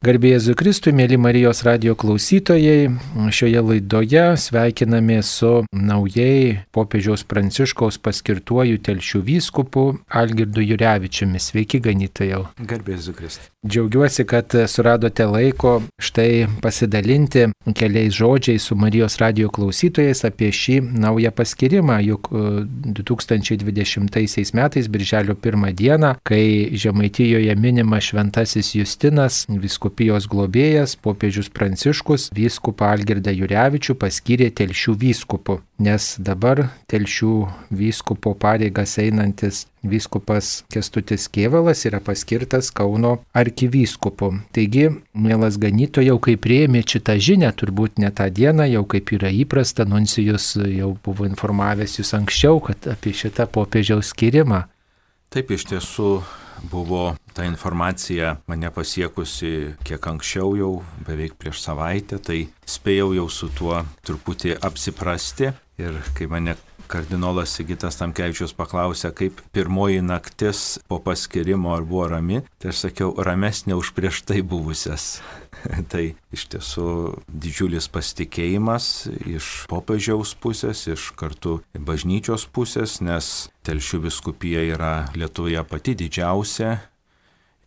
Garbė Jėzui Kristui, mėly Marijos radijo klausytojai, šioje laidoje sveikiname su naujai popiežiaus Pranciškaus paskirtuoju Telšių vyskupu Algirdu Jurevičiumi. Sveiki, ganytojau. Garbė Jėzui Kristui. Džiaugiuosi, kad suradote laiko štai pasidalinti keliais žodžiais su Marijos radijo klausytojais apie šį naują paskirimą, juk 2020 metais, birželio 1 dieną, kai Žemaitijoje minima šventasis Justinas, vyskupijos globėjas, popiežius Pranciškus, vyskupą Algirdą Jurevičių paskyrė Telšių vyskupu, nes dabar Telšių vyskupo pareigas einantis vyskupas Kęstutis Kėvalas yra paskirtas Kauno arkivyskupu. Taigi, mielas ganytojau, kai priėmė šitą žinią, turbūt ne tą dieną, jau kaip yra įprasta, nuncijus jau buvo informavęs jūs anksčiau, kad apie šitą popiežiaus skirimą. Taip, iš tiesų buvo ta informacija mane pasiekusi kiek anksčiau, jau beveik prieš savaitę, tai spėjau jau su tuo truputį apsiprasti. Ir kai mane kardinolas Sigitas Tamkevičius paklausė, kaip pirmoji naktis po paskirimo ar buvo rami, tai aš sakiau, ramesnė už prieš tai buvusias. Tai iš tiesų didžiulis pasitikėjimas iš popiežiaus pusės, iš kartu bažnyčios pusės, nes Telšių vyskupija yra Lietuvoje pati didžiausia,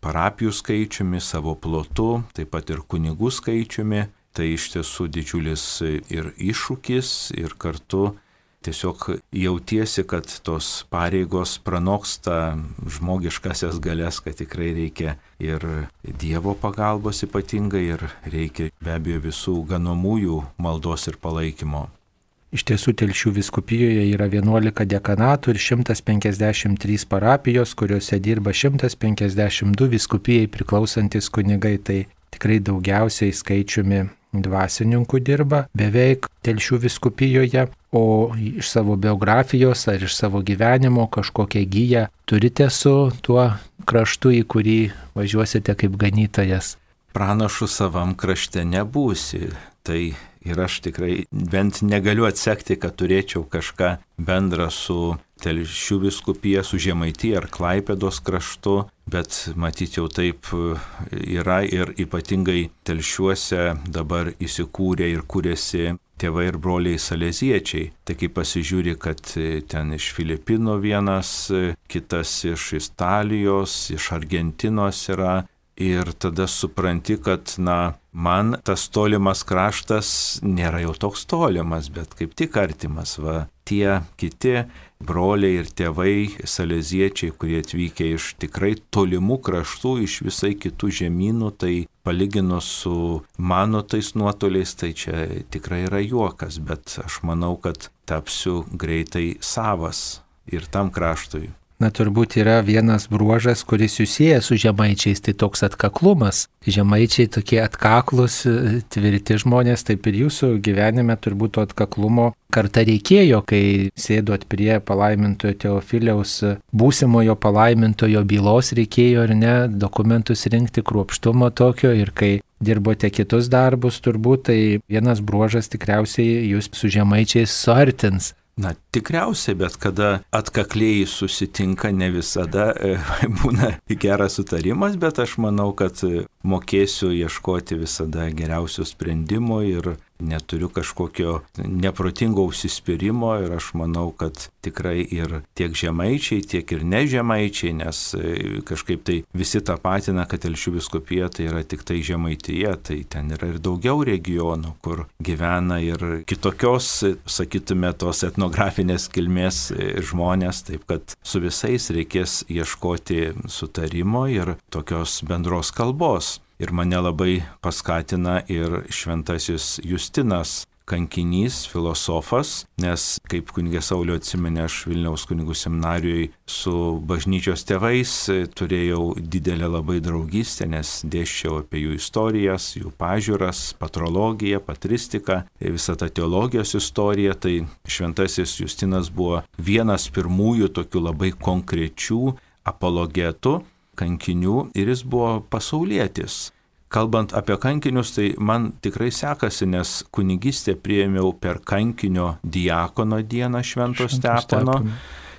parapijų skaičiumi, savo plotu, taip pat ir kunigų skaičiumi. Tai iš tiesų didžiulis ir iššūkis, ir kartu tiesiog jautiesi, kad tos pareigos pranoksta žmogiškasias galias, kad tikrai reikia ir Dievo pagalbos ypatingai, ir reikia be abejo visų ganomųjų maldos ir palaikymo. Iš tiesų Telšių vyskupijoje yra 11 dekanatų ir 153 parapijos, kuriuose dirba 152 vyskupijai priklausantis kunigai. Tai tikrai daugiausiai skaičiumi dvasininkų dirba beveik Telšių vyskupijoje, o iš savo biografijos ar iš savo gyvenimo kažkokią giją turite su tuo kraštu, į kurį važiuosite kaip ganytojas. Pranašu savam krašte nebūsi. Tai ir aš tikrai bent negaliu atsekti, kad turėčiau kažką bendrą su Telšių vyskupija, su Žemaitija ar Klaipėdos kraštu, bet matyt jau taip yra ir ypatingai Telšiuose dabar įsikūrė ir kūrėsi tėvai ir broliai saleziečiai. Tai kai pasižiūri, kad ten iš Filipinų vienas, kitas iš Italijos, iš Argentinos yra. Ir tada supranti, kad, man tas tolimas kraštas nėra jau toks tolimas, bet kaip tik artimas. Tie kiti broliai ir tėvai saleziečiai, kurie atvykę iš tikrai tolimų kraštų, iš visai kitų žemynų, tai palyginus su mano tais nuotoliais, tai čia tikrai yra juokas, bet aš manau, kad tapsiu greitai savas ir tam kraštui. Turbūt yra vienas bruožas, kuris susijęs su žemaičiais, tai toks atkaklumas. Žemaičiai tokie atkaklus, tvirti žmonės, taip ir jūsų gyvenime turbūt to atkaklumo kartą reikėjo, kai sėdot prie palaimintojo Teofiliaus, būsimojo palaimintojo bylos reikėjo ar ne, dokumentus rinkti, kruopštumo tokio, ir kai dirbote kitus darbus turbūt, tai vienas bruožas tikriausiai jūs su žemaičiais suartins. Tikriausiai, bet kada atkakliai susitinka, ne visada būna geras sutarimas, bet aš manau, kad mokėsiu ieškoti visada geriausio sprendimo ir neturiu kažkokio neprotingo užsispyrimo, ir aš manau, kad tikrai ir tiek žemaičiai, tiek ir nežemaičiai, nes kažkaip tai visi tapatina, kad Telšių vyskupija tai yra tik tai Žemaitija, tai ten yra ir daugiau regionų, kur gyvena ir kitokios, sakytume, tos etnografinės kilmės žmonės, taip kad su visais reikės ieškoti sutarimo ir tokios bendros kalbos. Ir mane labai paskatina ir šventasis Justinas, kankinys, filosofas, nes kaip kunigė Sauliau atsimenė, aš Vilniaus kunigų seminarijoje su bažnyčios tėvais turėjau didelę labai draugystę, nes dėsčiau apie jų istorijas, jų pažiūras, patrologiją, patristiką, visą tą teologijos istoriją. Tai šventasis Justinas buvo vienas pirmųjų tokių labai konkrečių apologetų, kankinių, ir jis buvo pasaulietis. Kalbant apie kankinius, tai man tikrai sekasi, nes kunigystę priėmiau per kankinio diakono dieną Švento Stepono.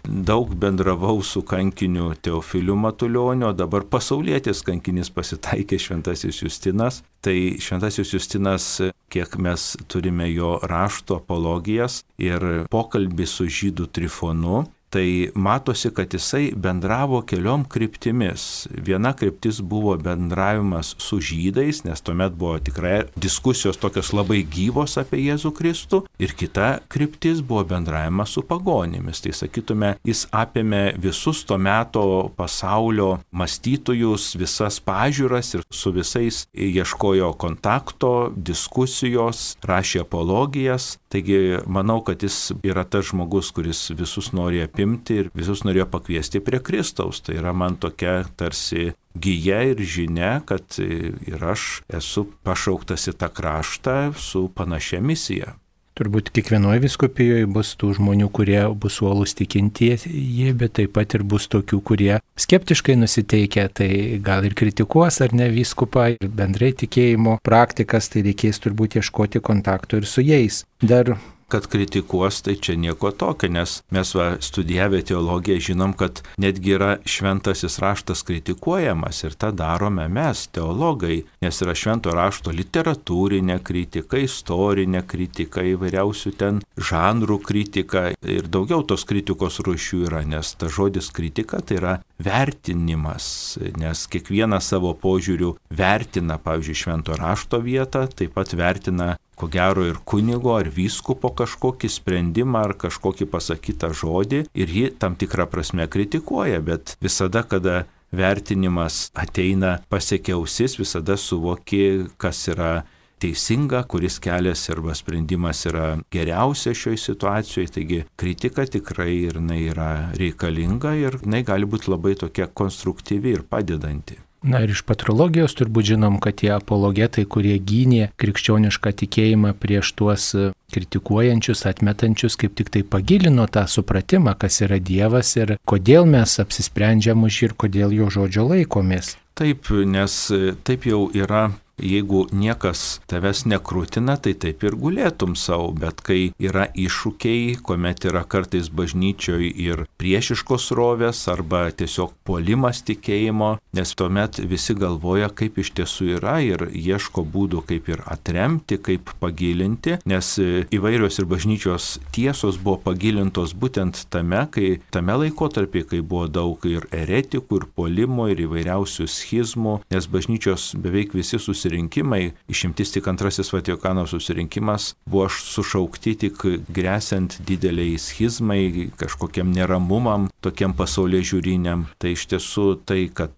daug bendravau su kankiniu Teofiliu Matulioniu, o dabar pasaulietis kankinis pasitaikė Šventasis Justinas. Tai Šventasis Justinas, kiek mes turime jo rašto apologijas ir pokalbį su žydų Trifonu, tai matosi, kad jisai bendravo keliom kryptimis. Viena kryptis buvo bendravimas su žydais, nes tuomet buvo tikrai diskusijos tokios labai gyvos apie Jėzų Kristų, ir kita kryptis buvo bendravimas su pagonimis. Tai sakytume, jis apėmė visus to meto pasaulio mąstytojus, visas pažiūras ir su visais ieškojo kontakto, diskusijos, rašė apologijas. Taigi manau, kad jis yra tas žmogus, kuris visus nori apimti ir visus norėjo pakviesti prie Kristaus. Tai yra man tokia tarsi gija ir žinia, kad ir aš esu pašauktas į tą kraštą su panašia misija. Turbūt kiekvienoje vyskupijoje bus tų žmonių, kurie bus uolūs tikintieji, bet taip pat ir bus tokių, kurie skeptiškai nusiteikia, tai gal ir kritikuos ar ne vyskupą ir bendrai tikėjimo praktikas, tai reikės turbūt ieškoti kontakto ir su jais. Dar kad kritikuos, tai čia nieko tokio, nes mes studijavę teologiją žinom, kad netgi yra šventasis raštas kritikuojamas ir tą darome mes, teologai, nes yra švento rašto literatūrinė kritika, istorinė kritika, įvairiausių ten žanrų kritika ir daugiau tos kritikos rūšių yra, nes ta žodis kritika tai yra vertinimas, nes kiekvienas savo požiūrių vertina, pavyzdžiui, švento rašto vietą, taip pat vertina ko gero ir kunigo ar vyskupo kažkokį sprendimą ar kažkokį pasakytą žodį ir jį tam tikrą prasme kritikuoja, bet visada, kada vertinimas ateina pasiekia ausis, visada suvoki, kas yra teisinga, kuris kelias arba sprendimas yra geriausia šioje situacijoje, taigi kritika tikrai ir jinai yra reikalinga ir jinai gali būti labai tokia konstruktyvi ir padedanti. Na ir iš patrologijos turbūt žinom, kad tie apologetai, kurie gynė krikščionišką tikėjimą prieš tuos kritikuojančius, atmetančius, kaip tik tai pagilino tą supratimą, kas yra Dievas ir kodėl mes apsisprendžiam už jį ir kodėl jo žodžio laikomės. Taip, nes taip jau yra. Jeigu niekas tavęs nekrūtina, tai taip ir gulėtum savo, bet kai yra iššūkiai, kuomet yra kartais bažnyčioje ir priešiškos rovės arba tiesiog puolimas tikėjimo, nes tuomet visi galvoja, kaip iš tiesų yra ir ieško būdų, kaip ir atremti, kaip pagilinti, nes įvairios ir bažnyčios tiesos buvo pagilintos būtent tame laikotarpį, kai buvo daug ir eretikų, ir puolimo, ir įvairiausių schizmų, nes bažnyčios beveik visi susirinkimai, išimtis tik Antrasis Vatikano susirinkimas, buvo sušaukti tik gresiant dideliai schizmai, kažkokiam neramumam, tokiam pasaulėžiūriniam. Tai iš tiesų tai, kad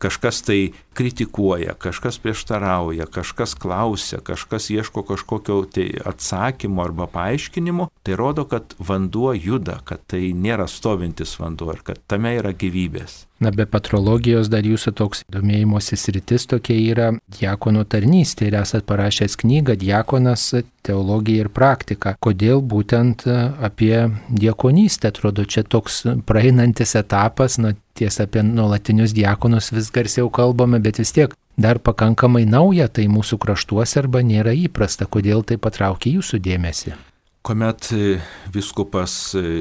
kažkas tai kritikuoja, kažkas prieštarauja, kažkas klausia, kažkas ieško kažkokio tai atsakymo arba paaiškinimo, tai rodo, kad vanduo juda, kad tai nėra stovintis vanduo ir kad tame yra gyvybės. Na, be patrologijos dar jūsų toks domėjimosi sritis tokia yra diakono tarnystė ir esat parašęs knygą Diakonas, teologija ir praktika. Kodėl būtent apie diakonystę? Atrodo, čia toks praeinantis etapas, na, tiesa, apie nuolatinius diakonus vis garsiau kalbame, bet vis tiek dar pakankamai nauja, tai mūsų kraštuose arba nėra įprasta. Kodėl tai patraukė jūsų dėmesį? Kuomet vyskupas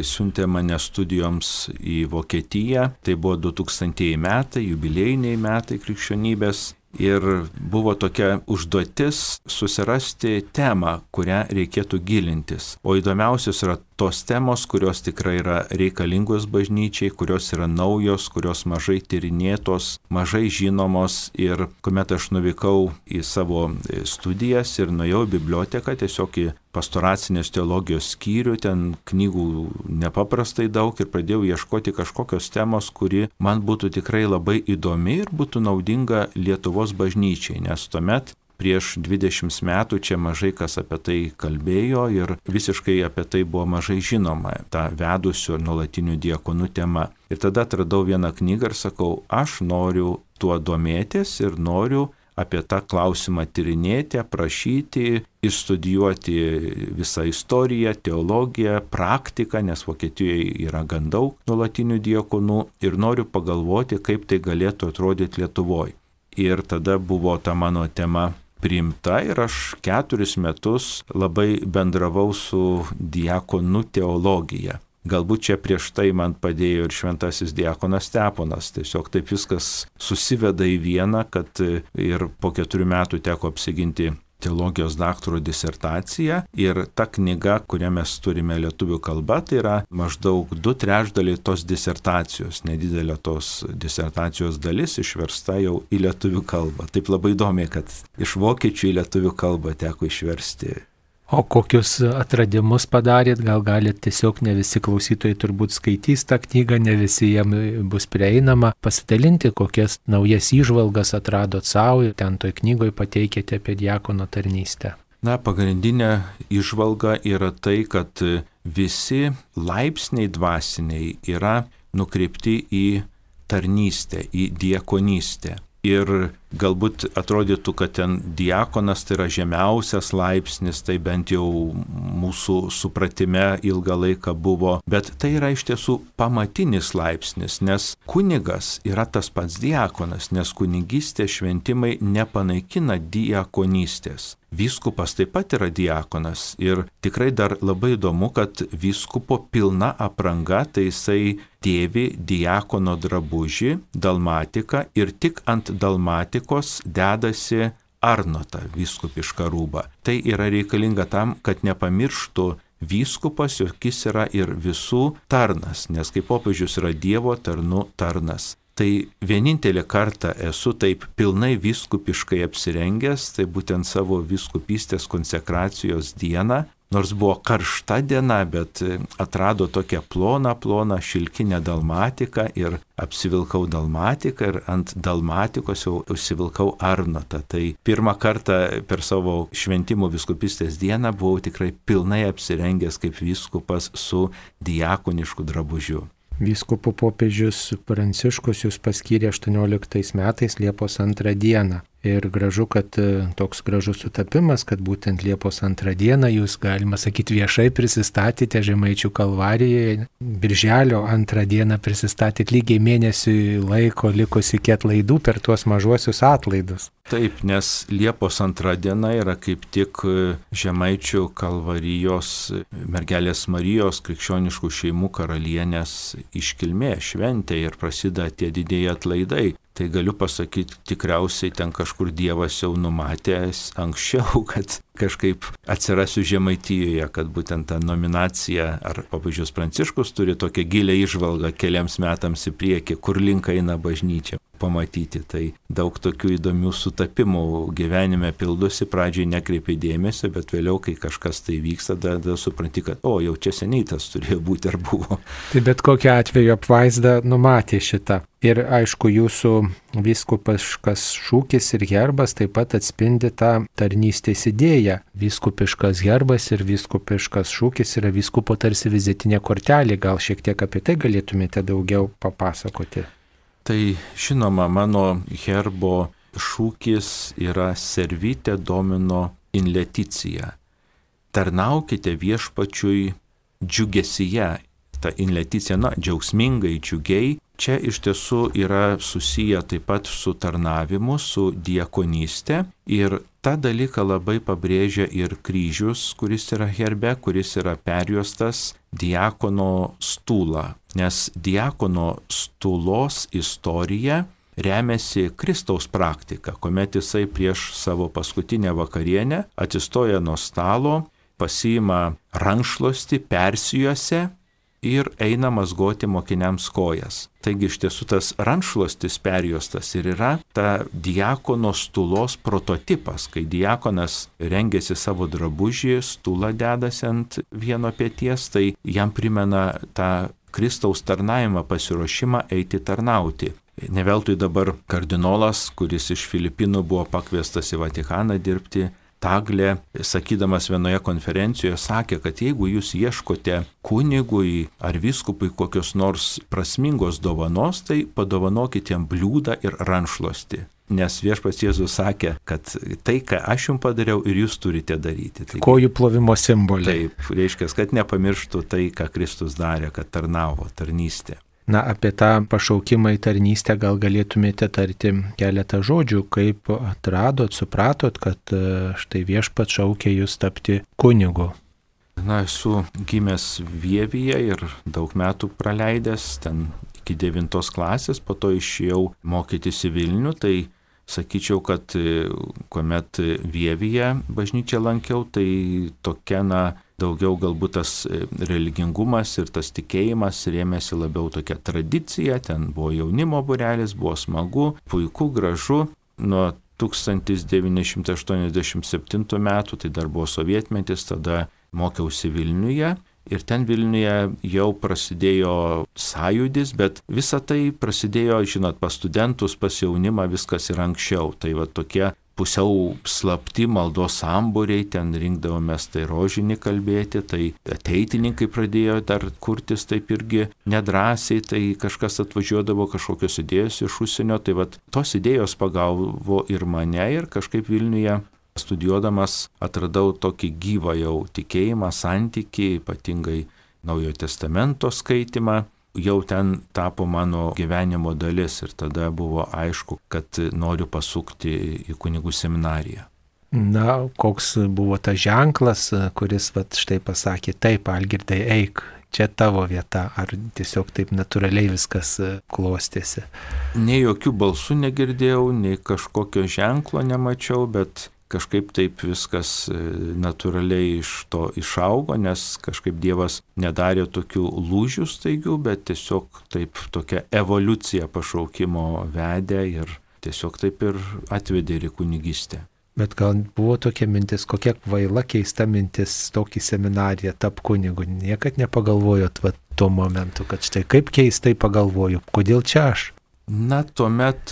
siuntė mane studijoms į Vokietiją, tai buvo 2000 metai, jubiliejiniai metai krikščionybės, ir buvo tokia užduotis susirasti temą, kurią reikėtų gilintis. O įdomiausios yra tos temos, kurios tikrai yra reikalingos bažnyčiai, kurios yra naujos, kurios mažai tyrinėtos, mažai žinomos. Ir kuomet aš nuvykau į savo studijas ir nuėjau į biblioteką, tiesiog į pastoracinės teologijos skyrių, ten knygų nepaprastai daug ir pradėjau ieškoti kažkokios temos, kuri man būtų tikrai labai įdomi ir būtų naudinga Lietuvos bažnyčiai, nes tuomet prieš 20 metų čia mažai kas apie tai kalbėjo ir visiškai apie tai buvo mažai žinoma, ta vedusių nuolatinių diakonų tema. Ir tada atradau vieną knygą ir sakau, aš noriu tuo domėtis ir noriu apie tą klausimą tyrinėti, aprašyti, išstudijuoti visą istoriją, teologiją, praktiką, nes Vokietijoje yra gan daug nuolatinių diakonų ir noriu pagalvoti, kaip tai galėtų atrodyti Lietuvoje. Ir tada buvo ta mano tema priimta ir aš 4 metus labai bendravau su diakonų teologija. galbūt čia prieš tai man padėjo ir šventasis diakonas Steponas. Tiesiog taip viskas susiveda į vieną, kad ir po 4 metų teko apsiginti teologijos daktaro disertaciją ir ta knyga, kurią mes turime lietuvių kalba, tai yra maždaug 2/3 tos disertacijos, nedidelė tos disertacijos dalis išversta jau į lietuvių kalbą. Taip labai įdomi, kad iš vokiečių į lietuvių kalbą teko išversti. O kokius atradimus padarėt? Gal galite tiesiog, ne visi klausytojai turbūt skaitys tą knygą, ne visi jiems bus prieinama, pasidalinti, kokias naujas įžvalgas atradot savo ir ten toj knygoje pateikėte apie diakono tarnystę. Na, pagrindinė įžvalga yra tai, kad visi laipsniai dvasiniai yra nukreipti į tarnystę, į diakonystę. Ir galbūt atrodytų, kad ten diakonas tai yra žemiausias laipsnis, tai bent jau mūsų supratime ilgą laiką buvo, bet tai yra iš tiesų pamatinis laipsnis, nes kunigas yra tas pats diakonas, nes kunigystės šventimai nepanaikina diakonystės. Vyskupas taip pat yra diakonas ir tikrai dar labai įdomu, kad vyskupo pilna apranga, tai jisai dėvi diakono drabužį, dalmatiką ir tik ant dalmatikos dedasi arnotą, vyskupišką rūbą. Tai yra reikalinga tam, kad nepamirštų vyskupas, jog jis yra ir visų tarnas, nes kaip popiežius yra Dievo tarnų tarnas. Tai vienintelį kartą esu taip pilnai vyskupiškai apsirengęs, tai būtent savo vyskupystės konsekracijos dieną, nors buvo karšta diena, bet atrado tokią ploną šilkinę dalmatiką ir apsivilkau dalmatiką ir ant dalmatikos jau užsivilkau arnotą. Tai pirmą kartą per savo šventimų vyskupystės dieną buvau tikrai pilnai apsirengęs kaip vyskupas su diakonišku drabužiu. Vyskupo popiežius Pranciškus jūs paskyrė 18 metais Liepos 2 dieną. Ir gražu, kad toks gražus sutapimas, kad būtent Liepos 2 dieną jūs, galima sakyti, viešai prisistatėte Žemaičių Kalvarijoje. Birželio 2 dieną prisistatėte lygiai mėnesiui laiko likus iki atlaidų per tuos mažuosius atlaidus. Taip, nes Liepos 2 diena yra kaip tik Žemaičių Kalvarijos mergelės Marijos krikščioniškų šeimų karalienės iškilmė, šventė ir prasideda tie didieji atlaidai. Tai galiu pasakyti, tikriausiai ten kažkur Dievas jau numatęs anksčiau, kad kažkaip atsirasiu Žemaitijoje, kad būtent ta nominacija, ar popiežius Pranciškus turi tokią gilią įžvalgą keliams metams į priekį, kur link eina bažnyčia, pamatyti. Tai daug tokių įdomių sutapimų gyvenime pildosi, pradžiai nekreipi dėmesio, bet vėliau, kai kažkas tai vyksta, tada supranti, kad jau čia seniai tas turėjo būti ar buvo. Tai bet kokiu atveju apvaizda numatė šitą. Ir aišku, jūsų vyskupiškas šūkis ir herbas taip pat atspindi tą tarnystės idėją. Vyskupiškas herbas ir vyskupiškas šūkis yra vyskupo tarsi vizitinė kortelė. Gal šiek tiek apie tai galėtumėte daugiau papasakoti? Tai žinoma, mano herbo šūkis yra Servite Domino in Leticia. Tarnaukite viešpačiui džiugesyje. Ta in Leticia, džiaugsmingai, džiugiai. Čia iš tiesų yra susiję taip pat su tarnavimu, su diakonystė ir tą dalyką labai pabrėžia ir kryžius, kuris yra herbe, kuris yra perjuostas diakono stūlą, nes diakono stūlos istorija remiasi Kristaus praktika, kuomet jisai prieš savo paskutinę vakarienę atsistoja nuo stalo, pasiima rankšluostį, persijuosia ir eina mazgoti mokiniams kojas. Taigi iš tiesų tas rankšluostis perjuostas ir yra ta diakono stūlos prototipas, kai diakonas rengiasi savo drabužį, stūlą dedasi ant vieno peties, tai jam primena tą Kristaus tarnavimą, pasiruošimą eiti tarnauti. Ne veltui dabar kardinolas, kuris iš Filipinų buvo pakviestas į Vatikaną dirbti, Taglė, sakydamas vienoje konferencijoje, sakė, kad jeigu jūs ieškote kunigui ar vyskupui kokios nors prasmingos dovanos, tai padovanokite jam bliūdą ir rankšluostį. Nes viešpats Jėzus sakė, kad tai, ką aš jums padariau, ir jūs turite daryti. Taigi, kojų plovimo simboliai. Taip, reiškia, kad nepamirštų tai, ką Kristus darė, kad tarnavo, tarnystė. Na, apie tą pašaukimą į tarnystę gal galėtumėte tarti keletą žodžių, kaip atradot, supratot, kad štai viešpats šaukė jūs tapti kunigu. Esu gimęs Vievyje ir daug metų praleidęs ten iki 9 klasės, po to išėjau mokytis į Vilnių, tai sakyčiau, kad kuomet Vievyje bažnyčią lankiau, tai tokia, daugiau galbūt tas religingumas ir tas tikėjimas rėmėsi labiau tokia tradicija, ten buvo jaunimo būrelis, buvo smagu, puiku, gražu. Nuo 1987 metų, tai dar buvo sovietmetis, tada mokiausi Vilniuje. Ir ten Vilniuje jau prasidėjo sąjūdis, bet visa tai prasidėjo, žinot, pas studentus, pas jaunimą, viskas ir anksčiau. Tai va tokie pusiau slapti maldos sambūriai, ten rinkdavomės tai rožinį kalbėti, tai ateitininkai pradėjo dar kurtis taip irgi nedrąsiai, tai kažkas atvažiuodavo, kažkokios idėjos iš užsienio, tai va tos idėjos pagavo ir mane ir kažkaip Vilniuje studijuodamas atradau tokį gyvą jau tikėjimą, santykį, ypatingai Naujojo Testamento skaitimą, jau ten tapo mano gyvenimo dalis ir tada buvo aišku, kad noriu pasukti į kunigų seminariją. Koks buvo tas ženklas, kuris štai pasakė, taip, Algirdai, eik, čia tavo vieta, ar tiesiog taip natūraliai viskas klostėsi? Nei jokių balsų negirdėjau, nei kažkokio ženklo nemačiau, bet kažkaip taip viskas natūraliai iš to išaugo, nes kažkaip Dievas nedarė tokių lūžių staigių, bet tiesiog taip tokia evoliucija pašaukimo vedė ir tiesiog taip ir atvedė ir į kunigystę. Bet gal buvo tokia mintis, kokia kvaila, keista mintis tokį seminariją tap kunigu. Niekad nepagalvojot tuo momentu, kad štai kaip keistai pagalvoju, kodėl čia aš? Tuomet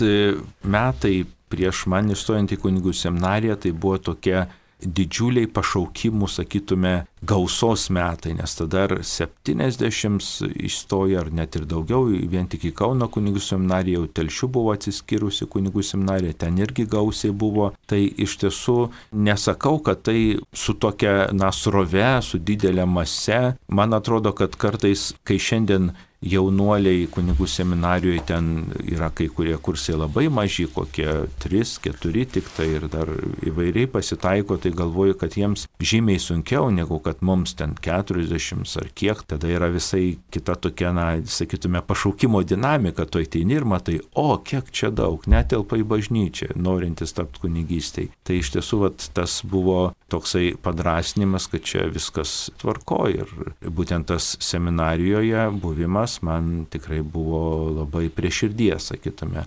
metai prieš man įstojant į kunigų seminariją, tai buvo tokie didžiuliai pašaukimų, sakytume, gausos metai, nes tada ar 70 įstojo, ar net ir daugiau, vien tik į Kauno kunigų seminariją, jau Telšių buvo atsiskyrusi kunigų seminarija, ten irgi gausiai buvo. Tai iš tiesų nesakau, kad tai su tokia srove, su didelė mase. Man atrodo, kad kartais, kai šiandien jaunuoliai kunigų seminarijoje ten yra kai kurie kursai labai maži, kokie 3-4 tik tai ir dar įvairiai pasitaiko, tai galvoju, kad jiems žymiai sunkiau negu kad mums ten 40 ar kiek, tada yra visai kita tokia, sakytume, pašaukimo dinamika, tu ateini ir matai, kiek čia daug, netelpa į bažnyčią, norintis tapti kunigystei. Tai iš tiesų tas buvo toksai padrasnimas, kad čia viskas tvarko ir būtent tas seminarijoje buvimas man tikrai buvo labai prie širdies, sakytume.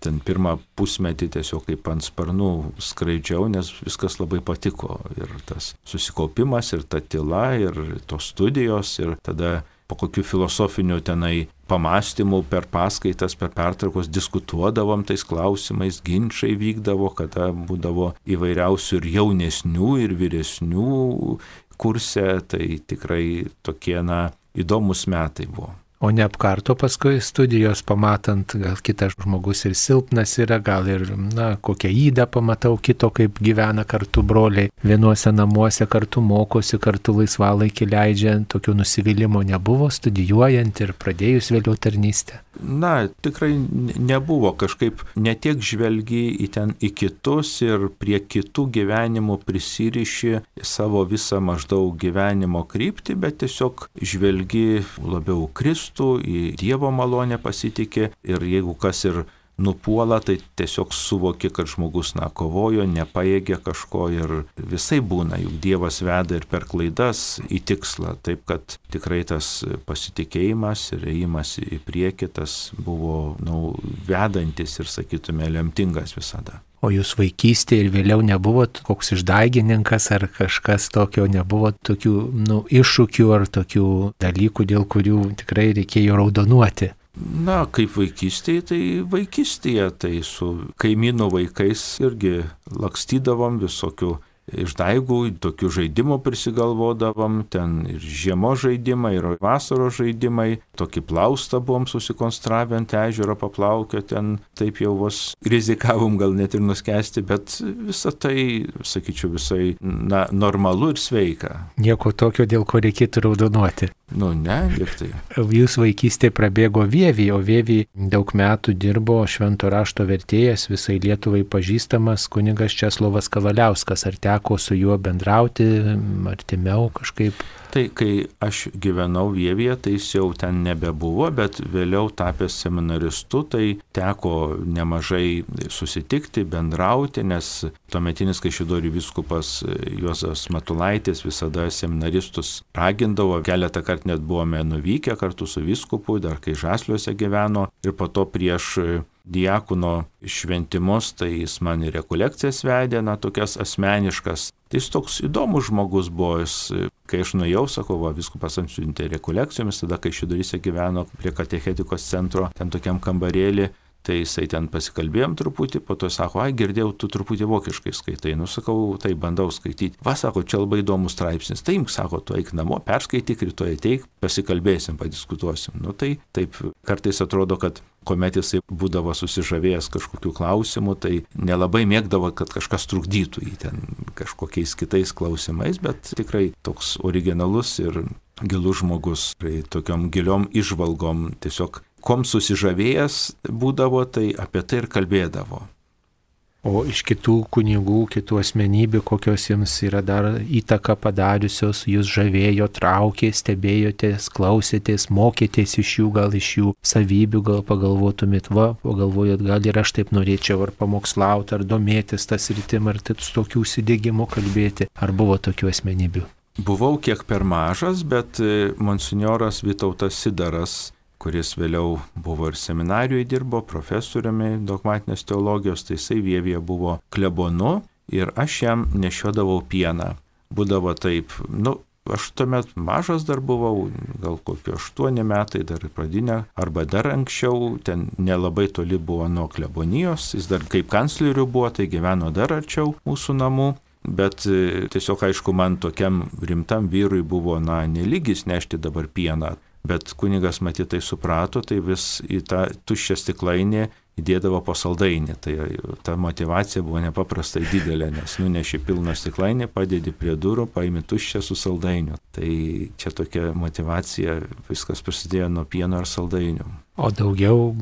Ten pirmą pusmetį tiesiog kaip ant sparnų skraidžiau, nes viskas labai patiko. Ir tas susikaupimas, ir ta tyla, ir tos studijos, ir tada po kokių filosofinių tenai pamastymų per paskaitas, per pertraukos diskutuodavom tais klausimais, ginčai vykdavo, kada būdavo įvairiausių ir jaunesnių, ir vyresnių kurse, tai tikrai tokie įdomus metai buvo. O neapkarto paskui studijos pamatant, gal kitas žmogus ir silpnas yra, gal ir, kokią ydą pamatau kito, kaip gyvena kartu broliai, vienuose namuose kartu mokosi, kartu laisvalaikį leidžia, tokio nusivylimo nebuvo studijuojant ir pradėjus vėliau tarnystę? Tikrai nebuvo, kažkaip netiek žvelgi į kitus ir prie kitų gyvenimų prisiriši savo visą maždaug gyvenimo kryptį, bet tiesiog žvelgi labiau Kristų, į Dievo malonę pasitikė ir jeigu kas ir nupuola, tai tiesiog suvoki, kad žmogus kovojo, nepajėgė kažko ir visai būna, juk Dievas veda ir per klaidas į tikslą, taip kad tikrai tas pasitikėjimas ir ėjimas į priekį tas buvo vedantis ir, sakytume, lemtingas visada. O jūs vaikystėje ir vėliau nebuvot koks išdaigininkas ar kažkas tokio, nebuvo tokių iššūkių ar tokių dalykų, dėl kurių tikrai reikėjo raudonuoti? Kaip vaikystėje, tai su kaimynų vaikais irgi lakstydavom visokių išdaigų, tokių žaidimų prisigalvodavom, ten ir žiemos žaidimai, ir vasaros žaidimai, tokį plaustą buvom susikonstravę ant ežero paplaukio, ten taip jau vos rizikavom gal net ir nuskesti, bet visą tai, sakyčiau, visai normalu ir sveika. Nieko tokio, dėl ko reikėtų raudonuoti. Ne, liktai. Jūs vaikystėje prabėgo Vievy, o Vievy daug metų dirbo švento rašto vertėjas, visai Lietuvai pažįstamas kunigas Česlovas Kavaliauskas. Ar teko su juo bendrauti artimiau kažkaip? Tai kai aš gyvenau Vievyje, tai jis jau ten nebebuvo, bet vėliau tapęs seminaristu, tai teko nemažai susitikti, bendrauti, nes tuometinis Kaišiadorių vyskupas Juozas Matulaitis visada seminaristus ragindavo, keletą kartų net buvome nuvykę kartu su vyskupu, dar kai Žasliuose gyveno, ir po to prieš diakono šventimus, tai jis man ir rekolekcijas vedė, tokias asmeniškas. Tai jis toks įdomus žmogus buvo, kai aš nuėjau, sakau, vyskupas atsiuntė rekolekcijomis, tada Kaišiadoryse gyveno prie katechetikos centro, ten tokiam kambarėlį, tai jisai ten pasikalbėjom truputį, po to sako, girdėjau, tu truputį vokiškai skaitai, sakau, tai bandau skaityti. Sako, čia labai įdomus straipsnis, tai imk, sako, tu eik namo, perskaityk, rytoj ateik, pasikalbėsim, padiskutuosim. Tai taip, kartais atrodo, kad kuomet jisai būdavo susižavėjęs kažkokių klausimų, tai nelabai mėgdavo, kad kažkas trukdytų jį ten kažkokiais kitais klausimais, bet tikrai toks originalus ir gilus žmogus, tai tokiom giliom įžvalgom, tiesiog kom susižavėjęs būdavo, tai apie tai ir kalbėdavo. O iš kitų kunigų, kitų asmenybių, kokios jums yra dar įtaką padariusios, jūs žavėjo, traukė, stebėjotės, klausėtės, mokėtės iš jų, gal iš jų savybių, gal pagalvotumėt, pagalvojot, gal ir aš taip norėčiau ar pamokslauti, ar domėtis tas rytim, ar tokių įsidėgimų kalbėti, ar buvo tokių asmenybių? Buvau kiek per mažas, bet monsinjoras Vytautas Sidaras, kuris vėliau buvo ir seminarijoje dirbo, profesoriumi dogmatinės teologijos, tai jisai Vievyje buvo klebonu ir aš jam nešiodavau pieną. Būdavo taip, aš tuomet mažas dar buvau, gal kokie 8 metai, dar pradinę, arba dar anksčiau, ten nelabai toli buvo nuo klebonijos, jis dar kaip kancleriu buvo, tai gyveno dar arčiau mūsų namų. Bet tiesiog, aišku, man tokiam rimtam vyrui buvo, nelygis nešti dabar pieną. Bet kunigas matyt tai suprato, tai vis į tą tuščią stiklainį įdėdavo po saldainį. Tai ta motivacija buvo nepaprastai didelė, nes nuneši pilną stiklainį, padedi prie durų, paimi tuščią su saldainiu. Tai čia tokia motivacija, viskas prasidėjo nuo pieno ar saldainių. O daugiau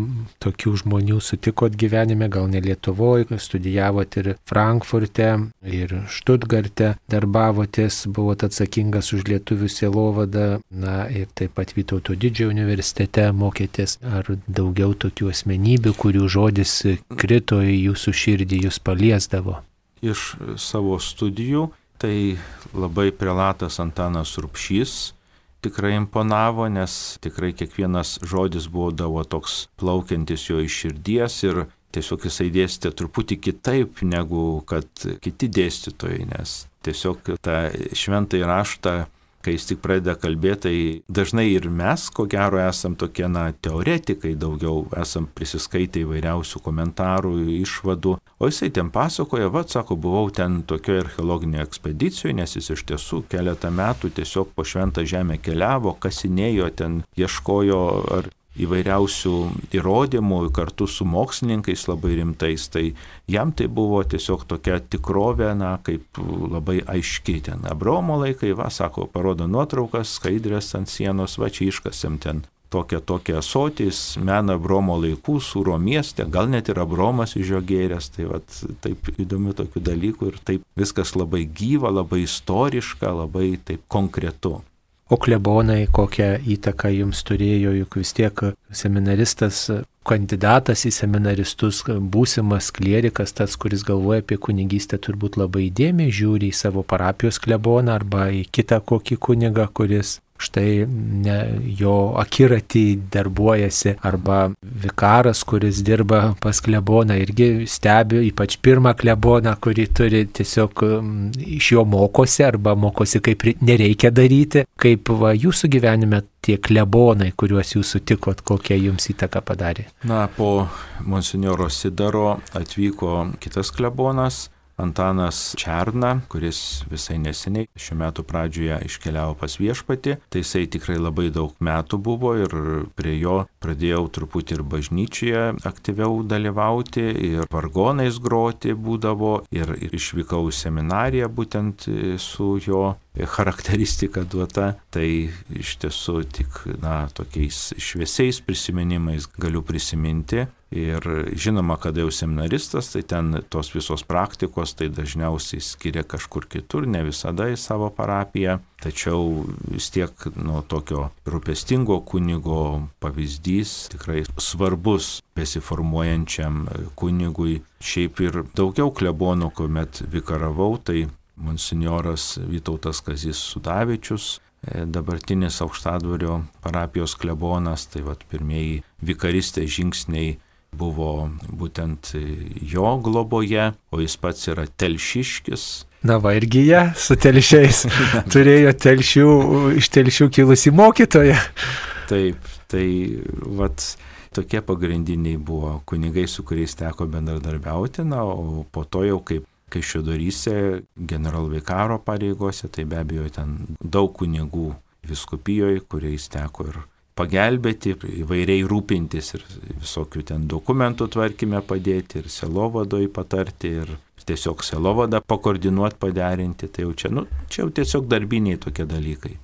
tokių žmonių sutikot gyvenime, gal ne Lietuvoje, studijavot ir Frankfurte, ir Štutgarte, darbavotės, buvot atsakingas už lietuvių sielovadą, ir taip pat Vytauto Didžiojo universitete mokėtės. Ar daugiau tokių asmenybių, kurių žodis krito į jūsų širdį, jūs paliesdavo? Iš savo studijų, tai labai prelatas Antanas Rupšys tikrai imponavo, nes tikrai kiekvienas žodis būdavo toks plaukiantis jo iš širdies ir tiesiog jisai dėstė truputį kitaip negu kad kiti dėstytojai, nes tiesiog tą šventąjį raštą, kai jis tik pradeda kalbėti, tai dažnai ir mes, ko gero, esam tokie teoretikai, daugiau esam prisiskaitę įvairiausių komentarų, išvadų, o jisai ten pasakoja, sako, buvau ten tokioje archeologinėje ekspedicijoje, nes jis iš tiesų keletą metų tiesiog po šventą žemę keliavo, kasinėjo ten, ieškojo ar įvairiausių įrodymų kartu su mokslininkais labai rimtais, tai jam tai buvo tiesiog tokia tikrovė, kaip labai aiški ten. Abraomo laikai, sako, parodo nuotraukas, skaidrės ant sienos, čia iškasėm ten tokia ąsotis, mena Abraomo laikų, Sūro mieste, gal net ir Abraomas iš jo gėręs, tai taip įdomių tokių dalykų ir taip viskas labai gyva, labai istoriška, labai taip konkretu. O klebonai kokią įtaką jums turėjo, juk vis tiek seminaristas, kandidatas į seminaristus, būsimas klierikas, tas, kuris galvoja apie kunigystę, turbūt labai įdėmiai žiūri į savo parapijos kleboną arba į kitą kokį kunigą, kuris štai jo akiratį darbuojasi, arba vikaras, kuris dirba pas kleboną, irgi stebi, ypač pirmą kleboną, kurį turi, tiesiog iš jo mokosi arba mokosi, kaip nereikia daryti. Kaip jūsų gyvenime tie klebonai, kuriuos jūs sutikot, kokią jums įtaką padarė? Po monsinjoro Sidaro atvyko kitas klebonas, Antanas Černa, kuris visai neseniai šių metų pradžioje iškeliavo pas viešpatį. Tai jisai tikrai labai daug metų buvo ir prie jo pradėjau truputį ir bažnyčioje aktyviau dalyvauti, ir vargonais groti būdavo, ir išvykau į seminariją būtent su jo charakteristika duota. Tai iš tiesų tik tokiais šviesiais prisiminimais galiu prisiminti. Ir žinoma, kada jau seminaristas, tai ten tos visos praktikos, tai dažniausiai skiria kažkur kitur, ne visada į savo parapiją. Tačiau vis tiek tokio rūpestingo kunigo pavyzdys tikrai svarbus besiformuojančiam kunigui. Šiaip ir daugiau klebonų, kuomet vikaravau, tai monsinjoras Vytautas Kazys Sudavičius, dabartinis Aukštadvario parapijos klebonas, tai pirmieji vikaristės žingsniai buvo būtent jo globoje, o jis pats yra telšiškis. Na va, irgi jie su telšiais turėjo iš telšių kilusi mokytoja. Taip, tai tokie pagrindiniai buvo kunigai, su kuriais teko bendradarbiauti, o po to jau kaip Kaišiadoryse generalvikaro pareigose, tai be abejo ten daug kunigų vyskupijoje, kuriais teko ir pagelbėti, įvairiai rūpintis ir visokių ten dokumentų tvarkyme padėti, ir selovadoj patarti, ir tiesiog selovadą pakoordinuoti, paderinti. Tai jau čia jau tiesiog darbiniai tokie dalykai.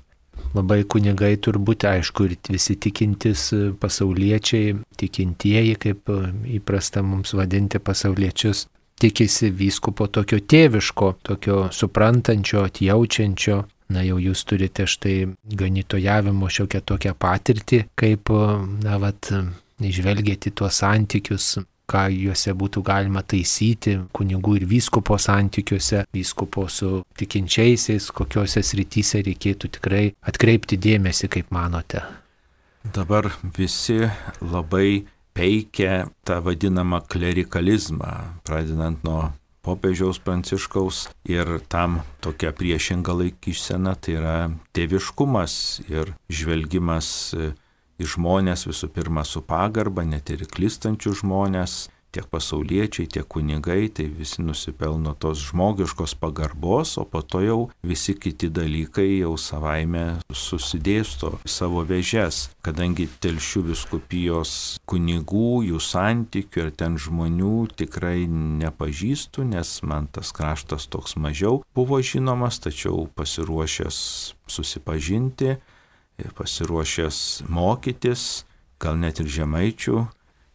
Labai kunigai turbūt, aišku, ir visi tikintis pasauliečiai, tikintieji, kaip įprasta mums vadinti pasauliečius, tikisi vyskupo tokio tėviško, tokio suprantančio, atjaučiančio. Na jau jūs turite štai ganytojavimo šiokią tokią patirtį, kaip, išvelgėti tuos santykius, ką juose būtų galima taisyti, kunigų ir vyskupo santykiuose, vyskupo su tikinčiaisiais, kokiuose srityse reikėtų tikrai atkreipti dėmesį, kaip manote. Dabar visi labai peikia tą vadinamą klerikalizmą, pradedant nuo popiežiaus Pranciškaus, ir tam tokia priešinga laikysena, tai yra tėviškumas ir žvelgimas į žmonės visų pirma su pagarba, net ir klystančių žmonės, tiek pasauliečiai, tiek kunigai, tai visi nusipelno tos žmogiškos pagarbos, o po to jau visi kiti dalykai jau savaime susidėsto savo vėžes, kadangi Telšių vyskupijos kunigų, jų santykių ir ten žmonių tikrai nepažįstu, nes man tas kraštas toks mažiau buvo žinomas, tačiau pasiruošęs susipažinti, pasiruošęs mokytis, gal net ir žemaičių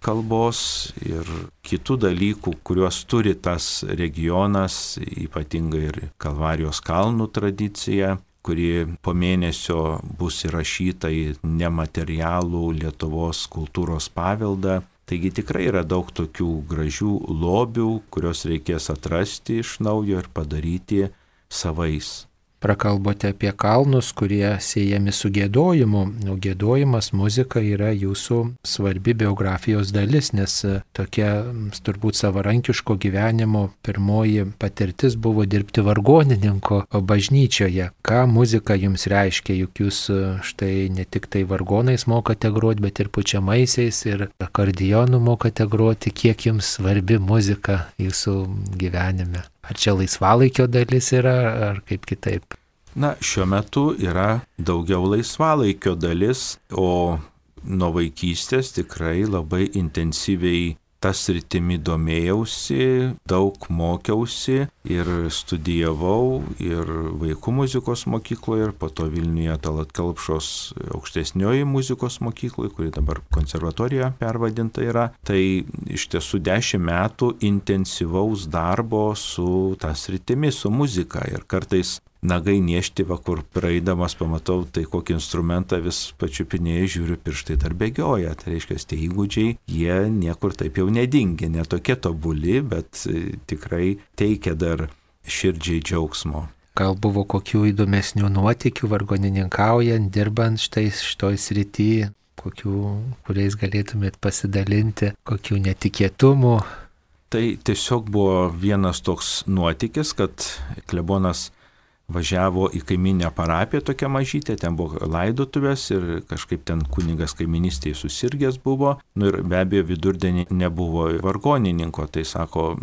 kalbos ir kitų dalykų, kuriuos turi tas regionas, ypatingai ir Kalvarijos kalnų tradicija, kuri po mėnesio bus įrašyta į nematerialų Lietuvos kultūros paveldą. Taigi tikrai yra daug tokių gražių lobių, kuriuos reikės atrasti iš naujo ir padaryti savais. Prakalbote apie kalnus, kurie siejami su giedojimu, o giedojimas, muzika yra jūsų svarbi biografijos dalis, nes tokia turbūt savarankiško gyvenimo pirmoji patirtis buvo dirbti vargonininko bažnyčioje. Ką muzika jums reiškia, juk jūs štai ne tik tai vargonais mokate groti, bet ir pučiamaisiais ir akordeonu mokate groti. Kiek jums svarbi muzika jūsų gyvenime? Ar čia laisvalaikio dalis yra, ar kaip kitaip? Na, šiuo metu yra daugiau laisvalaikio dalis, o nuo vaikystės tikrai labai intensyviai tas sritimi domėjausi, daug mokiausi ir studijavau ir vaikų muzikos mokykloje, ir po to Vilniuje Tallat Kelpšos aukštesnioji muzikos mokykloje, kuri dabar konservatorija pervadinta yra. Tai iš tiesų 10 metų intensyvaus darbo su ta sritimi, su muzika, ir kartais nagai niešti, kur praeidamas pamatau, tai kokį instrumentą vis pačiupinėjai, žiūriu, pirštai dar bėgioja. Tai reiškia, tie įgūdžiai, jie niekur taip jau nedingia, netokie tobuli, bet tikrai teikia dar širdžiai džiaugsmo. Gal buvo kokių įdomesnių nuotykių vargonininkaujant, dirbant šitoj srity, kuriais galėtumėt pasidalinti, kokių netikėtumų? Tai tiesiog buvo vienas toks nuotykis, kad klebonas važiavo į kaiminę parapiją, tokią mažytę, ten buvo laidotuvės ir kažkaip ten kunigas kaiminystėje susirgęs buvo, ir be abejo vidurdienį nebuvo vargonininko, tai sako,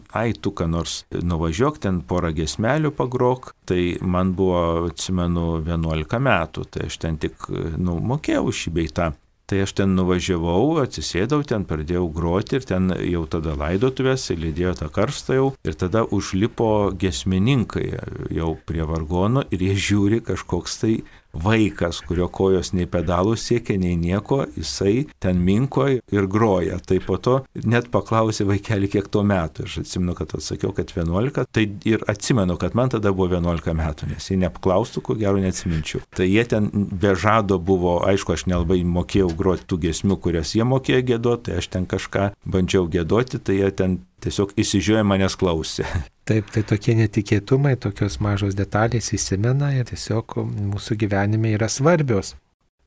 tu ką nors nuvažiuok, ten porą giesmelių pagrok, tai man buvo, atsimenu, 11 metų, tai aš ten tik mokėjau šį bei tą. Tai aš ten nuvažiavau, atsisėdau, ten pradėjau groti ir ten jau tada laidotuvės, lydėjo tą karstą jau, ir tada užlipo giesmininkai jau prie vargono ir jie žiūri, kažkoks tai vaikas, kurio kojos nei pedalų siekia, nei nieko, jisai ten minko ir groja. Tai po to net paklausė vaikelį, kiek to metų. Aš atsimenu, kad atsakiau, kad 11, tai ir atsimenu, kad man tada buvo 11 metų, nes jei neapklaustų, ko gero neatsiminčiau. Tai jie ten be žado buvo, aišku, aš nelabai mokėjau groti tų giesmių, kurias jie mokėjo giedoti, tai aš ten kažką bandžiau giedoti, tai jie ten tiesiog įsižiūrėjo, manęs klausė. Taip, tai tokie netikėtumai, tokios mažos detalės įsimena ir tiesiog mūsų gyvenime yra svarbios.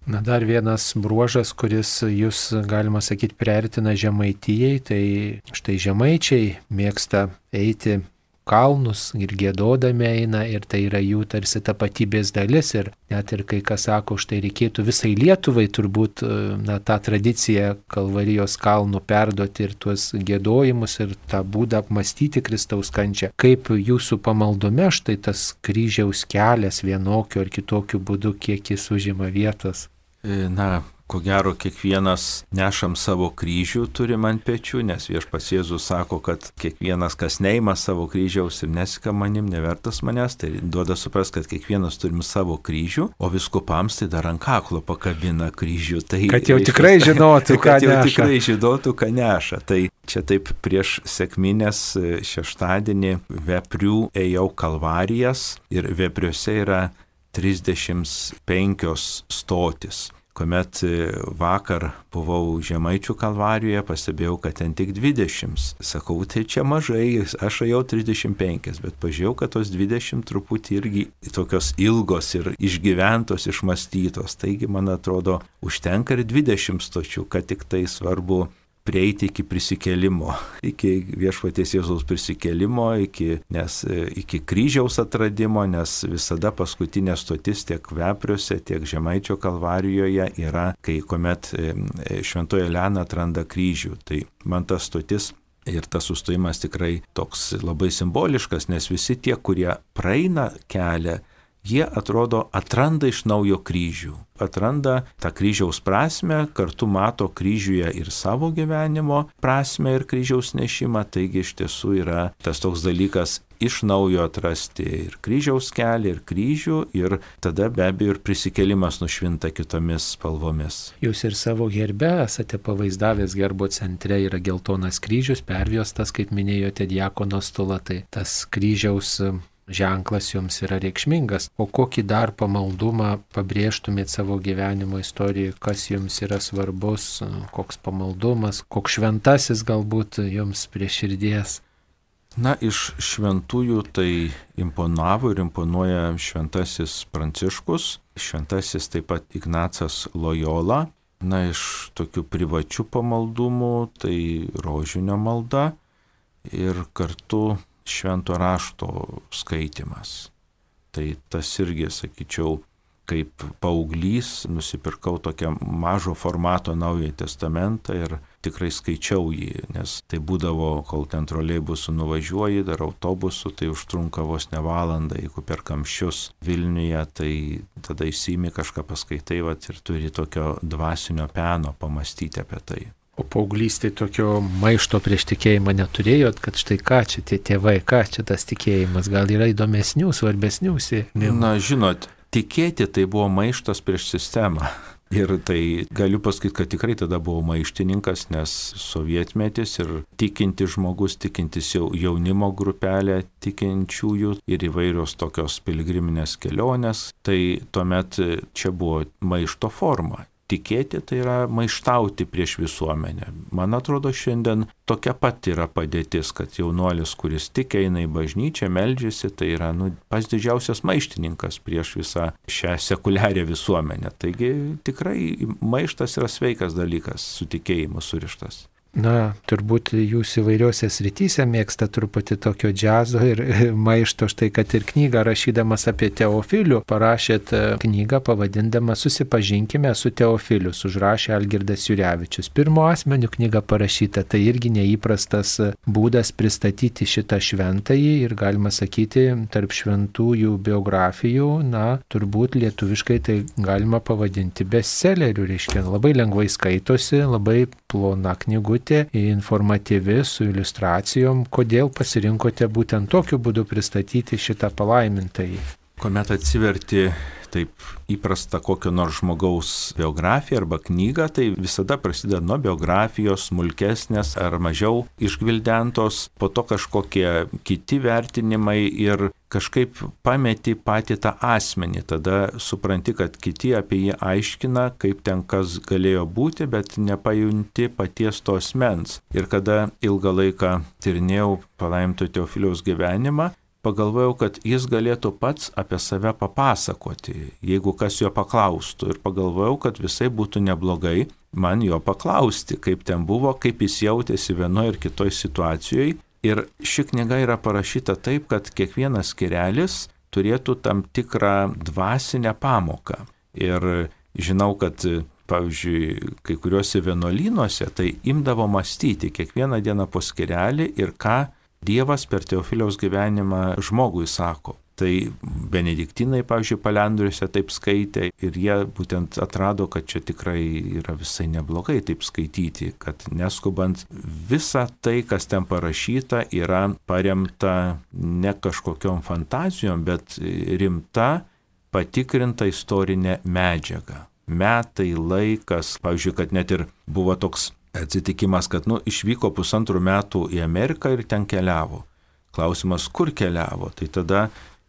Na, dar vienas bruožas, kuris jūs, galima sakyti, priartina Žemaitijai, tai štai žemaičiai mėgsta eiti kalnus ir giedodami eina ir tai yra jų tarsi tapatybės dalis ir net ir kai kas sako, štai reikėtų visai Lietuvai turbūt tą tradiciją Kalvarijos kalnų perduoti ir tuos giedojimus ir tą būdą apmastyti Kristaus kančią. Kaip jūsų pamaldume štai tas kryžiaus kelias vienokiu ar kitokiu būdu, kiek jis užima vietos? Na, ko gero, kiekvienas nešam savo kryžių turim ant pečių, nes Viešpats Jėzus sako, kad kiekvienas, kas neima savo kryžiaus ir nesika manim, nevertas manęs, tai duoda suprast, kad kiekvienas turim savo kryžių, o vyskupams tai dar ant kaklo pakabina kryžių. Tai, kad jau tikrai žinotų, ką neša. Kad jau tikrai žinotų, ką neša. Tai čia taip prieš sekminės šeštadienį Veprių ėjau Kalvarijas ir Vepriuose yra 35 stotis. Kuomet vakar buvau Žemaičių Kalvarijoje, pastebėjau, kad ten tik 20. Sakau, tai čia mažai, aš ėjau 35, bet pažiūrėjau, kad tos 20 truputį irgi tokios ilgos ir išgyventos, išmastytos. Taigi, man atrodo, užtenka ir 20 stočių, kad tik tai svarbu prieiti iki prisikėlimo, iki Viešpaties Jėzaus prisikėlimo, iki kryžiaus atradimo, nes visada paskutinė stotis tiek Vepriuose, tiek Žemaičio Kalvarijoje yra, kuomet Šventoji Elena atranda kryžių. Tai man ta stotis ir tas sustojimas tikrai toks labai simboliškas, nes visi tie, kurie praeina kelią, jie atrodo atranda iš naujo kryžių, atranda tą kryžiaus prasme, kartu mato kryžiuje ir savo gyvenimo prasme ir kryžiaus nešimą, taigi iš tiesų yra tas toks dalykas iš naujo atrasti ir kryžiaus kelią, ir kryžių, ir tada be abejo ir prisikėlimas nušvinta kitomis spalvomis. Jūs ir savo herbe esate pavaizdavęs, gerbo centre yra geltonas kryžius, perviostas, kaip minėjote, diakono stulą, tai tas kryžiaus ženklas jums yra reikšmingas. O kokį dar pamaldumą pabrėžtumėt savo gyvenimo istorijoje, kas jums yra svarbus, koks pamaldumas, koks šventasis galbūt jums prie širdies? Na, iš šventųjų tai imponavo ir imponuoja šventasis Pranciškus, šventasis taip pat Ignacas Lojola. Na, iš tokių privačių pamaldumų tai rožinio malda ir kartu švento rašto skaitimas. Tai tas irgi, sakyčiau, kaip paauglys nusipirkau tokią mažo formato Naująjį testamentą ir tikrai skaičiau jį, nes tai būdavo, kol ten troleibusu nuvažiuoji, dar autobusu, tai užtrunka vos ne valandą, jeigu per kamščius Vilniuje, tai tada įsimi kažką paskaitai ir turi tokio dvasinio peno pamastyti apie tai. O paauglystė tokio maišto prieš tikėjimą neturėjot, kad štai ką čia tie tėvai, ką čia tas tikėjimas, gal yra įdomesnių, svarbesnių sėkmių? Na, žinot, tikėti tai buvo maištas prieš sistemą. Ir tai galiu pasakyti, kad tikrai tada buvau maištininkas, nes sovietmetis ir tikintis žmogus, tikintis jaunimo grupelė tikinčiųjų ir įvairios tokios piligriminės kelionės, tai tuomet čia buvo maišto forma. Tikėti tai yra maištauti prieš visuomenę. Man atrodo, šiandien tokia pat yra padėtis, kad jaunuolis, kuris tik eina į bažnyčią, meldžiasi, tai yra pats didžiausias maištininkas prieš visą šią sekuliarią visuomenę. Taigi tikrai maištas yra sveikas dalykas, su tikėjimu surištas. Na, turbūt jūs įvairiuose srityse mėgsta truputį tokio džiazo ir maišto, štai kad ir knygą rašydamas apie Teofilių, parašėt knygą pavadindama Susipažinkime su Teofiliu, užrašė Algirdas Jurevičius. Pirmo asmeniu knyga parašyta, tai irgi neįprastas būdas pristatyti šitą šventąjį ir galima sakyti, tarp šventųjų biografijų, na, turbūt lietuviškai tai galima pavadinti bestselleriu, reiškia, labai lengvai skaitosi, labai plona knygutė, informatyvi, su iliustracijom. Kodėl pasirinkote būtent tokiu būdu pristatyti šitą palaimintąjį? Kuomet atsiverti taip įprasta kokio nors žmogaus biografiją arba knygą, tai visada prasideda nuo biografijos, smulkesnės ar mažiau išgvildentos, po to kažkokie kiti vertinimai ir kažkaip pameti patį tą asmenį. Tada supranti, kad kiti apie jį aiškina, kaip ten kas galėjo būti, bet nepajunti paties to asmens. Ir kada ilgą laiką tyrinėjau palaiminto Teofiliaus gyvenimą, pagalvojau, kad jis galėtų pats apie save papasakoti, jeigu kas jo paklaustų. Ir pagalvojau, kad visai būtų neblogai man jo paklausti, kaip ten buvo, kaip jis jautėsi vienoje ir kitoje situacijoje. Ir ši knyga yra parašyta taip, kad kiekvienas skyrelis turėtų tam tikrą dvasinę pamoką. Ir žinau, kad pavyzdžiui, kai kuriuose vienuolynuose tai imdavo mąstyti kiekvieną dieną po skyrelį ir ką Dievas per Teofiliaus gyvenimą žmogui sako. Tai benediktinai, pavyzdžiui, palendriuose taip skaitė ir jie būtent atrado, kad čia tikrai yra visai neblogai taip skaityti, kad neskubant visa tai, kas ten parašyta, yra paremta ne kažkokiom fantazijom, bet rimta, patikrinta istorinė medžiaga. Metai, laikas, pavyzdžiui, kad net ir buvo toks atsitikimas, kad išvyko 1,5 metų į Ameriką ir ten keliavo. Klausimas, kur keliavo? Tai tada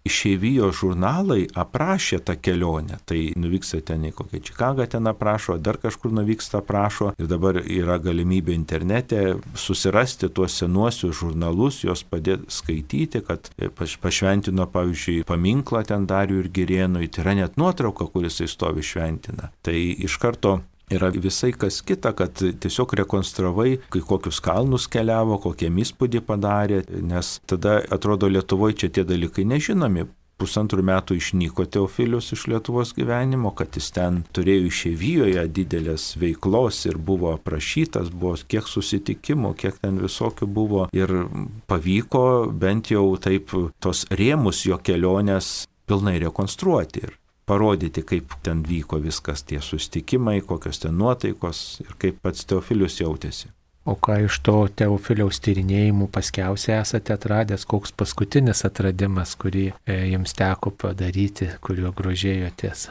išeivijos žurnalai aprašė tą kelionę. Tai nuvyksta ten į kokią Čikagą ten aprašo, dar kažkur nuvyksta aprašo. Ir dabar yra galimybė internete susirasti tuos senuosius žurnalus, juos padėti skaityti, kad pašventino, pavyzdžiui, paminklą ten Dariui ir Girėnui. Tai yra net nuotrauka, kuris stovi šventina. Tai iš karto yra visai kas kita, kad tiesiog rekonstravai, kai kokius kalnus keliavo, kokią įspūdį padarė, nes tada atrodo Lietuvoje čia tie dalykai nežinomi. 1,5 metų išnyko Teofilius iš Lietuvos gyvenimo, kad jis ten turėjo išeivijoje didelės veiklos ir buvo aprašytas, buvo kiek susitikimų, kiek ten visokių buvo ir pavyko bent jau taip tos rėmus jo kelionės pilnai rekonstruoti ir parodyti, kaip ten vyko viskas, tie susitikimai, kokios ten nuotaikos ir kaip pats Teofilius jautėsi. O ką iš to Teofiliaus tyrinėjimų paskiausiai esate atradęs, koks paskutinis atradimas, kurį jums teko padaryti, kuriuo grožėjotės?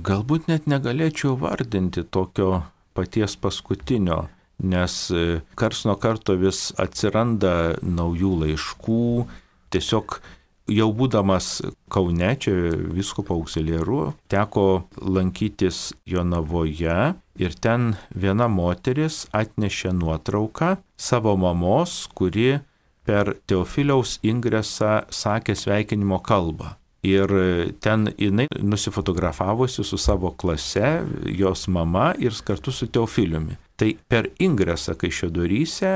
Galbūt net negalėčiau vardinti tokio paties paskutinio, nes karts nuo karto vis atsiranda naujų laiškų, tiesiog jau būdamas Kaune, čia vyskupo auxiliaru, teko lankytis Jonavoje ir ten viena moteris atnešė nuotrauką savo mamos, kuri per Teofiliaus ingresą sakė sveikinimo kalbą. Ir ten jinai nusifotografavusi su savo klase, jos mama ir kartu su Teofiliumi. Tai per ingresą Kaišiadoryse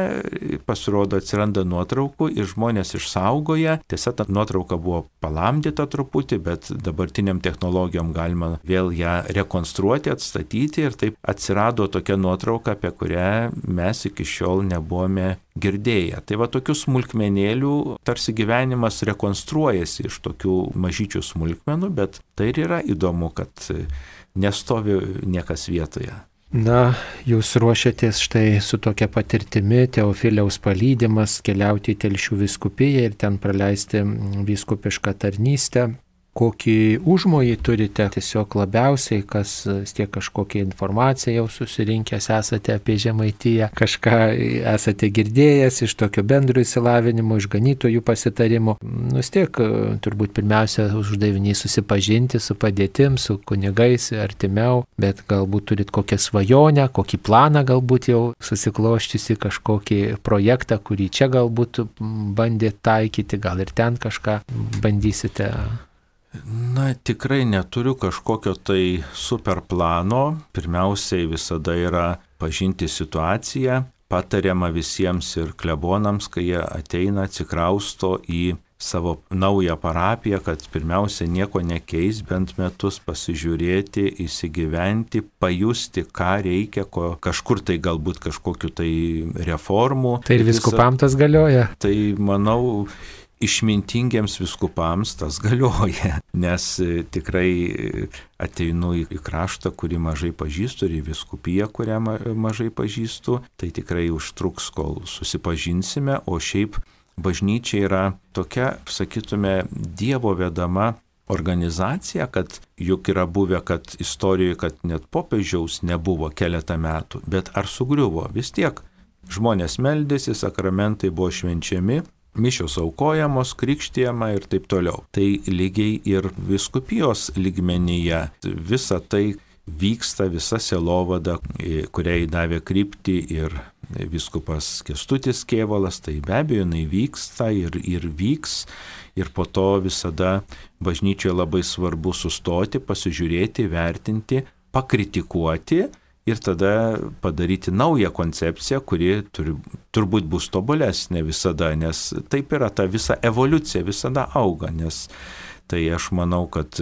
pasirodo atsiranda nuotraukų ir žmonės išsaugoja. Tiesa, ta nuotrauka buvo palamdyta truputį, bet dabartiniam technologijom galima vėl ją rekonstruoti, atstatyti ir taip atsirado tokia nuotrauka, apie kurią mes iki šiol nebuvome girdėję. Tai va tokių smulkmenėlių tarsi gyvenimas rekonstruojasi iš tokių mažyčių smulkmenų, bet tai ir yra įdomu, kad nestovi niekas vietoje. Na, jūs ruošiatės štai su tokia patirtimi, Teofiliaus palydimas, keliauti į Telšių vyskupiją ir ten praleisti vyskupišką tarnystę. Kokį užmojį turite tiesiog labiausiai, kas tiek kažkokią informaciją jau susirinkęs esate apie Žemaitiją, kažką esate girdėjęs iš tokio bendro įsilavinimo, iš ganytojų pasitarimų. Tiek turbūt pirmiausia uždavinys susipažinti su padėtim, su kunigais artimiau, bet galbūt turit kokią svajonę, kokį planą galbūt jau susikloščiusi, kažkokį projektą, kurį čia galbūt bandėt taikyti, gal ir ten kažką bandysite. Na, tikrai neturiu kažkokio tai super plano. Pirmiausiai visada yra pažinti situaciją. Patariama visiems ir klebonams, kai jie ateina, atsikrausto į savo naują parapiją, kad pirmiausia nieko nekeis, bent metus pasižiūrėti, įsigyventi, pajusti, ką reikia, kažkur tai galbūt kažkokiu tai reformų. Tai ir viskupam tas galioja? Tai manau, išmintingiems viskupams tas galioja, nes tikrai ateinu į kraštą, kurį mažai pažįstu, ir į viskupiją, kurią mažai pažįstu, tai tikrai užtruks, kol susipažinsime, o šiaip bažnyčia yra tokia, sakytume, Dievo vedama organizacija, kad juk yra buvę, kad istorijoje, kad net popiežiaus nebuvo keletą metų, bet ar sugriuvo? Vis tiek žmonės meldėsi, sakramentai buvo švenčiami, mišios aukojamos, krikštijama ir taip toliau. Tai lygiai ir vyskupijos lygmenyje visa tai vyksta, visa sielovada, kuriai davė kryptį ir vyskupas Kęstutis Kėvalas, tai be abejo jinai vyksta ir vyks. Ir po to visada bažnyčioje labai svarbu sustoti, pasižiūrėti, vertinti, pakritikuoti ir tada padaryti naują koncepciją, kuri turbūt bus tobulesnė visada, nes taip yra, ta visa evoliucija visada auga, nes tai aš manau, kad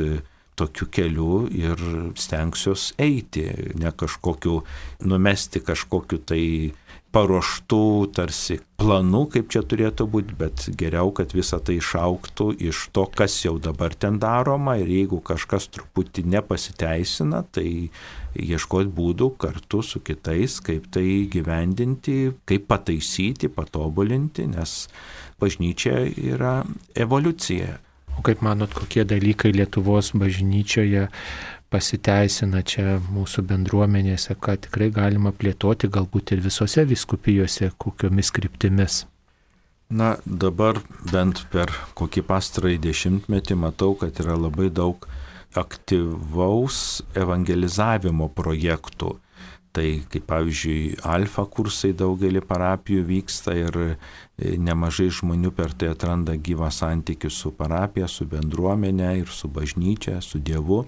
tokiu keliu ir stengsiuos eiti, ne kažkokiu, numesti kažkokiu tai paruoštų tarsi planų, kaip čia turėtų būti, bet geriau, kad visa tai išaugtų iš to, kas jau dabar ten daroma ir jeigu kažkas truputį nepasiteisina, tai ieškoti būdų kartu su kitais, kaip tai gyvendinti, kaip pataisyti, patobulinti, nes bažnyčia yra evoliucija. O kaip manot, kokie dalykai Lietuvos bažnyčioje pasiteisina čia mūsų bendruomenėse, ką tikrai galima plėtoti, galbūt ir visose vyskupijose, kokiomis kryptimis? Na, dabar bent per kokį pastarąjį dešimtmetį matau, kad yra labai daug aktyvaus evangelizavimo projektų. Tai kaip pavyzdžiui, alfa kursai daugelį parapijų vyksta ir nemažai žmonių per tai atranda gyvą santykį su parapija, su bendruomenė ir su bažnyčia, su Dievu.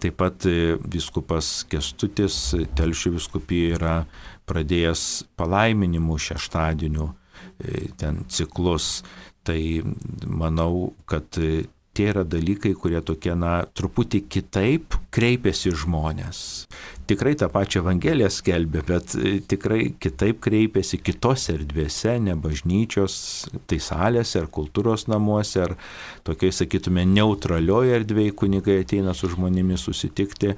Taip pat vyskupas Kęstutis Telšių vyskupijoje yra pradėjęs palaiminimų šeštadienių ten ciklus. Tai manau, kad tie yra dalykai, kurie tokie, truputį kitaip kreipiasi žmonės. Tikrai tą pačią Evangeliją skelbia, bet tikrai kitaip kreipiasi kitose erdvėse, ne bažnyčios, tai salėse ar kultūros namuose, ar tokiai, sakytume, neutralioje erdvėje kunigai ateina su žmonėmis susitikti.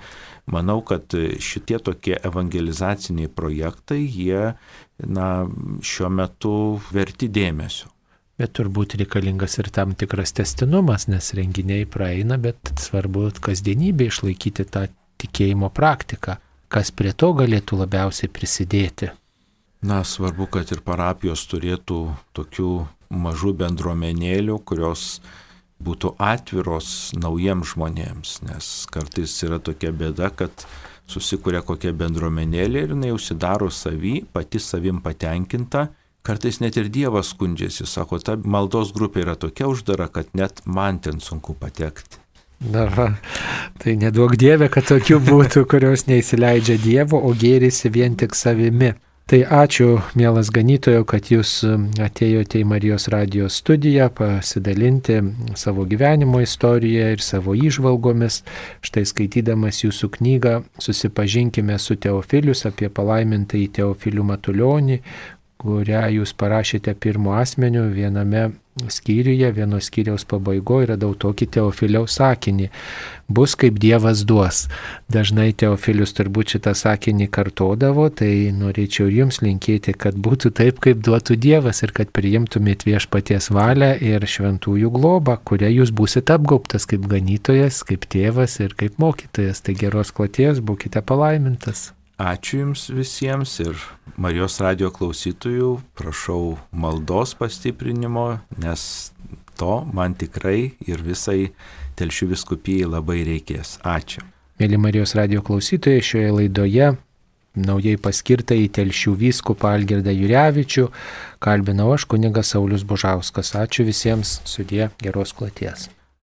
Manau, kad šitie tokie evangelizaciniai projektai, jie, šiuo metu verti dėmesio. Bet turbūt reikalingas ir tam tikras tęstinumas, nes renginiai praeina, bet svarbu kasdienybė išlaikyti tą tikėjimo praktiką. Kas prie to galėtų labiausiai prisidėti? Svarbu, kad ir parapijos turėtų tokių mažų bendruomenėlių, kurios būtų atviros naujiems žmonėms, nes kartais yra tokia bėda, kad susikuria kokia bendruomenėlė ir jinai užsidaro pati savim patenkinta. Kartais net ir Dievas skundžiasi, sako, ta maldos grupė yra tokia uždara, kad net man ten sunku patekti. Tai neduok Dieve, kad tokių būtų, kurios neįsileidžia Dievo, o gėrisi vien tik savimi. Tai ačiū, mielas ganytojo, kad jūs atėjote į Marijos radijos studiją pasidalinti savo gyvenimo istoriją ir savo įžvalgomis. Štai skaitydamas jūsų knygą Susipažinkime su Teofilius apie palaimintąjį Teofilių Matulionį, kurią jūs parašėte pirmu asmeniu viename skyriuje, vieno skyriaus pabaigoje radau tokį Teofiliaus sakinį: bus kaip Dievas duos. Dažnai Teofilius turbūt šitą sakinį kartodavo, tai norėčiau jums linkėti, kad būtų taip, kaip duotų Dievas ir kad priimtumėt viešpaties valią ir šventųjų globą, kuria jūs būsite apgaubtas kaip ganytojas, kaip tėvas ir kaip mokytojas. Tai geros kloties, būkite palaimintas. Ačiū Jums visiems ir Marijos radijo klausytojų prašau maldos pastiprinimo, nes to man tikrai ir visai Telšių vyskupijai labai reikės. Ačiū. Mėly Marijos radijo klausytojai, šioje laidoje naujai paskirtą į Telšių vyskupą Algirdą Jurevičių kalbinau aš, kunigas Saulius Bužauskas. Ačiū visiems, sudie, geros kloties.